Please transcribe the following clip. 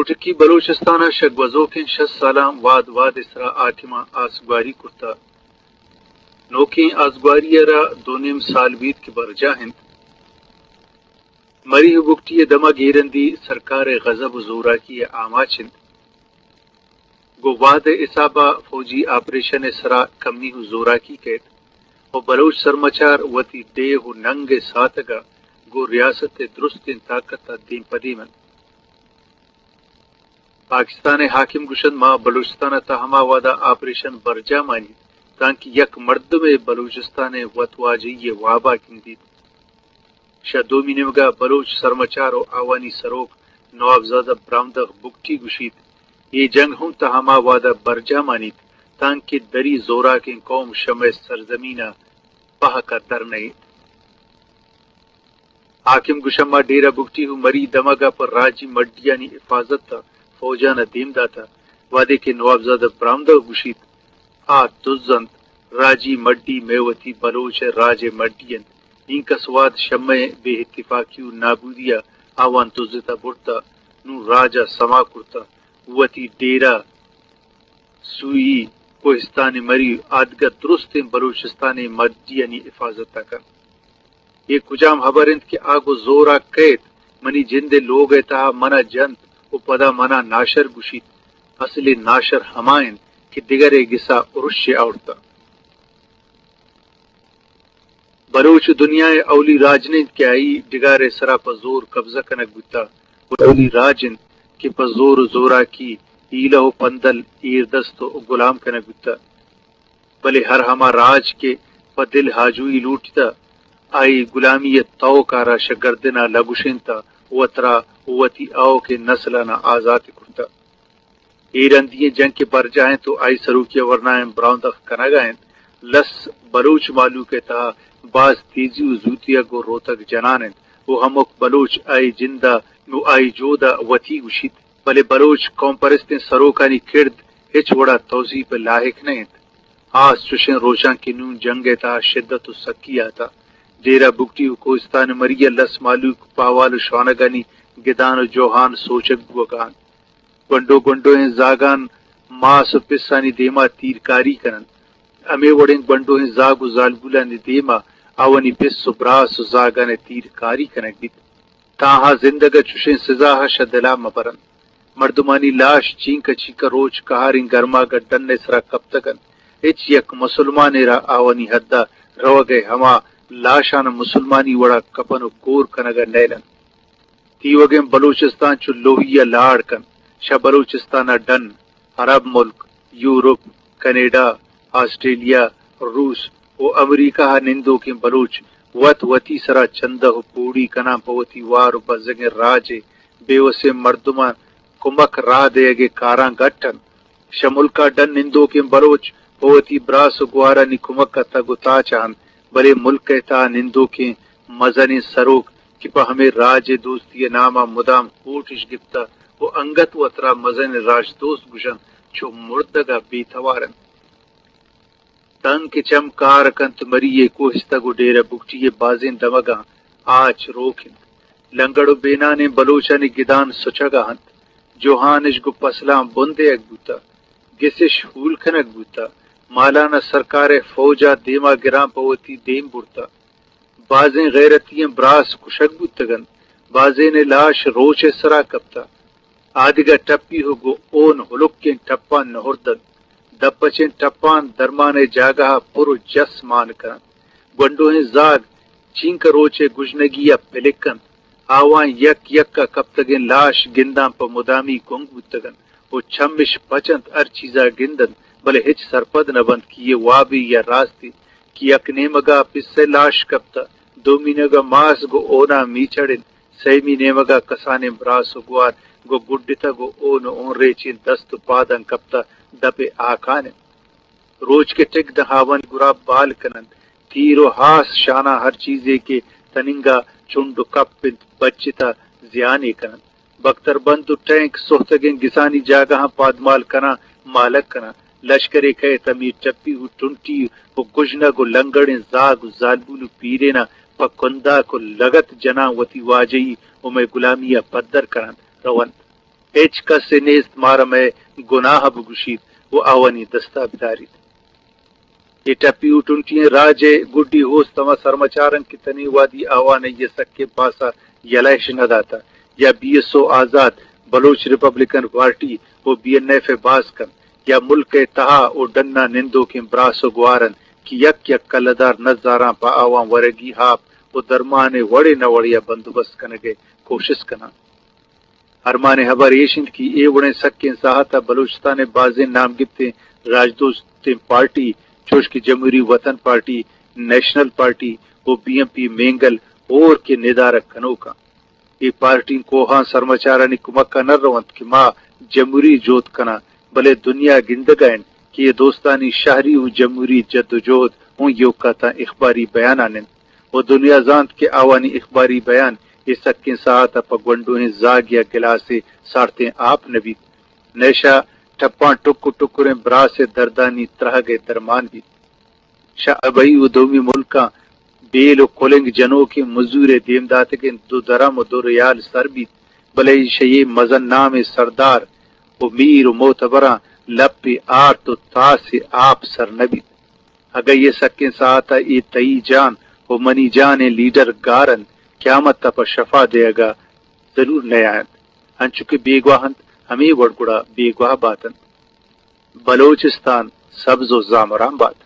ٹکی بلوچستان ءَ شہ گوزوکیں شست سالاں واد واد ءِ سرا حاکماں آسگواری کرتہ۔ نوکیں آسگواری ءَ را دو نیم سال بیت کہ برجاہ انت۔ مری ءُ بگٹی ءِ دمگ ایرندی سرکار ءِ غضب ءُ زوراکی ءِ آماچ انت۔ گوں وہد ءِ حساب ءَ فوجی آپریشن ءِ سرا کمی ءُ زوراکی کئیت ءُ بلوچ سرمچار وتی ڈیھ ءُ ننگ ءِ ساتگ ءَ گوں ریاست ءِ درستیں طاقت ءَ دیم پہ دیم انت۔ پاکستان ءِ حاکم گوشنت، ما بلوچستان ءِ تہا ہما وہد ءَ آپریشن برجاہ مانیت تانکہ یک مردمے بلوچستان ءِ وتواجہی ءِ واب ءَ گندیت۔ شہ دومی نیمگ ءَ بلوچ سرمچار ءُ آوانی سروک نوابزادہ برامدغ بگٹی گوشیت، اے جنگ ہم تاں ہما وہد ءَ برجاہ مانیت تانکہ دری زوراکیں قوم شہ مئے سرزمین ءَ پہک ءَ در نئیت۔ حاکم گوشنت، ما ڈیرہ بگٹی ءُ مری دمگ ءَ پہ راجی مڈیانی حفاظت ءَ فوجان ءَ دیم داتہ، وہدے کہ نوابزادہ برامدغ گوشیت، آ دز انت، راجی مڈی مئے وتی بلوچ ءِ راج ءِ مڈی انت۔ اینکس وہد شہ مئے بے اتفاقی ءُ نابودی ءَ آوان دزتہ برتہ، نوں راج ءَ سما کرتہ، وتی ڈیرہ سوئی، کوہستان مری ءُ آدگہ درستیں بلوچستان ءِ مڈیانی حفاظت ءَ کنت۔ اے کجام ہبر انت کہ آ گوں زور ءَ کئیت، منی جند ءِ لوگ ءِ تہا من ءَ جنت ءُ پدا من ءَ ناشر گوشیت؟ اسل ءَ ناشر ہما انت کہ دگرے گس ءَ ارش ءَ آورتہ۔ بلوچ دنیا ءِ اولی راج نہ انت کہ آئی ڈگار ءِ سرا پہ زور قبضہ کنگ بوتہ، بلے اولی راج انت کہ پہ زور ءُ زوراکی، ہیلہ ءُ پندل، ایردست ءُ گلام کنگ بوتہ۔ بلے ہر ہما راج کہ پہ دل آجوئی لوٹتہ، آئی گلامی ءِ توک ءَ را شہ گردن ءَ لگوشینتہ ءُ وترا ءُ وتی آؤکیں نسلان ءَ آزات کرتہ۔ اے رندی ئیں جنگ کہ برجاہ انت ءُ آئی سروکی ءَ ورنائیں براہندخ کنگ ءَ انت، لس بلوچ مہلوک ءِ تہا باز تیزی ءُ زوتی ءَ گوں روتگ جنان انت ءُ ہمک بلوچ آئی جند ءَ ءُ آئی جہد ءَ وتی گوشیت، بلے بلوچ قوم پرستیں سروکانی کرد ہچ وڑ ءَ توسیپ ءِ لائک نہ انت۔ ہاس چوشیں روچاں کہ نوں جنگ ءِ تہا شدت ءُ سکی آتہ، ڈیرہ بگٹی ءُ کوہستان مری ءِ لس مہلوک پہوال ءُ شوانگانی گدان ءُ جوہان سوچگ بوگ ءَ انت۔ گونڈو گونڈوئیں زاگان ماس ءُ پسانی دیما تیرکاری کن انت۔ ہمے وڑیں گونڈوئیں زاگ ءُ زالبولانی دیما آوانی پس ءُ براس ءُ زاگان ءِ تیرکاری کنگ بیت۔ تاں آ زندگ ءَ چشیں سزا ءَ شہ دل ءَ مہ بر انت۔ مردمانی لاش چینکہ چینکہ روچ کہاریں گرماگ ءِ ڈن ءِ سرا کپتگ انت۔ ہچ یک مسلمانے را آوانی حد ءَ روگ ءِ ہما لاشان ءَ مسلمانی وڑ ءَ کپن ءُ گور کنگ ءَ نیل انت۔ تیوگیں بلوچستان چو لوہی ءَ لاڑ کنت۔ شہ بلوچستان ءَ ڈن، عرب ملک، یورپ، کینیڈا، آسٹریلیا، روس ءُ امریکہ ءَ نندوکیں بلوچ وت وتی سرا چندہ ءُ پوڑی کناں، پہ وتی وار ءُ بزگیں راج ءِ بے وسیں مردماں کمک راہ دئیگ ءِ کاراں گٹ انت۔ شہ ملک ءَ ڈن نندوکیں بلوچ پہ وتی براس ءُ گوہارانی کمک ءَ تگ ءُ تاچ ءَ انت، بلے ملک ءِ تہا نندوکیں مزنیں سروک کہ پہ ہمے راج ءِ دوستی ءِ نام ءَ مدام ہوٹ اش گپتہ ءُ انگت وترا مزنیں راجدوست گوش انت، چو مردگ ءَ بے توار انت۔ تنک ءِ چم کار کنت، مری ءِ کوہستگ ءُ ڈیرہ بگٹی ءِ بازیں دمگاں آچ روک انت۔ لنگڑ ءُ بینانیں بلوچانی گدان سچگ ءَ انت۔ جوہان اش گوں پسلاں بن دئیگ بوتہ، گس اش ہول کنگ بوتہ، مالان ءَ سرکار ءِ فوج ءَ دیما گراں پہ وتی دیم برتہ۔ بازیں غیرتی ئیں براس کشگ بوتگ انت، بازینے لاش روچ ءِ سرا کپتہ۔ آدگہ ٹپی ءُ گوں اون ہلکیں ٹپاں نہردنت۔ دپچیں ٹپان درمان ءِ جاگہ ءَ پر ءُ جس مان کننت۔ گونڈوئیں زاگ چینکہ روچ ءِ گژنگی ءَ پلک انت۔ آواں یک یک ءَ کپتگیں لاش گنداں پہ مدامی گنگ بوتگ انت ءُ چمش پچ انت، ہر چیز ءَ گند انت، بلے ہچ سرپد نہ بنت کہ اے وابے یا راستے، کہ یک نیمگ ءَ پس ءِ لاش کپتہ، دومی نیمگ ءَ ماس گوں اوناں میچڑ انت، سیمی نیمگ ءَ کسانیں براس ءُ گوار گوں گڈتگ ءُ اون ءُ اونریچیں دست ءُ پاداں کپتہ دپ ءِ آکان انت۔ روچ کہ ٹک داں آوانی گراب بال کن انت، تیر ءُ ہاس شاناں ہر چیزے کہ تننگا چنڈ ءُ کپ انت، بچتہ زیانے کن انت۔ بکتر بند ءُ ٹینک سہتگیں گسانی جاگہاں پادمال کناں، مالگ کناں۔ لشکرے کئیت ہمے ٹپی ءُ ٹنٹی ءُ گژنگ ءُ لنگڑیں زاگ ءُ زالبول ءُ پیریناں پہ کنداک ءُ لگت جناں، وتی واجہی ءُ مئے گلامی ءَ پدر کن انت، رو انت۔ ہچ کسے نیست مارا مئے گناہ بگوشیت و آوانی دستا بداریت۔ اے ٹپی و ٹنٹی ئیں راج ء گڈی ہوست ہما سرمچار انت کہ تنی وہدی آوان ء یہ سکیں پاسا یلہ اش نہ داتہ، یا بی ایس او آزاد، بلوچ ریپبلکن پارٹی و بی این ایف ء باز کنت، یا ملک ء تہا و ڈنا نندوکیں براس و گوار انت کہ یک یک کلدار نزاراں پہ آوان ورگی آپ و درمان ء وڑے نہ وڑے ء بندوبست کنگ ء کوشست کناں۔ ارمان ء ہبر ایش انت کہ اے وڑیں سکیں ساہت ء بلوچستان ء بازیں نام گپتیں راجدوستیں پارٹی چوش کہ جمہوری وطن پارٹی، نیشنل پارٹی و بی ایم پی مینگل ہور کہ ندارگ کنوکاں۔ اے پارٹی کوہاں سرمچارانی کمک ء نہ رونت کہ ما جمہوری جہد کناں، بلے دنیا گندگ ء انت کہ اے دوستانی شہری و جمہوری جد و جہد اوں ایوکا تاں اخباری بیانان انت و دنیا زانت کہ آوانی اخباری بیان اے سکیں ساعت ء پہ گونڈوہیں زاگ یا گلاسے سارتیں آپ نہ بیت، نئے شہ ٹپاں ٹک و ٹکریں براس ء دردانی ترہگ ء درمان بیت۔ شہ ابئی و دومی ملکاں بیل و کلنگ جنوکیں مزور ء دیم داتگیں دو درم و دو ریال سر بیت، بلے شہ اے مزن نامیں سردار و میر و معتبراں لپے آرت و تاسے آپ سر نہ بیت۔ اگہ یہ سکیں ساعت ء اے تئی جان و منی جان ء لیڈر گار انت، قیامت ء پہ شفا دیگ ء ضرور نیاینت، انچو کہ بیگواہ انت، ہمے وڑ گڑا بیگواہ بات انت۔ بلوچستان سبز و زامران بات۔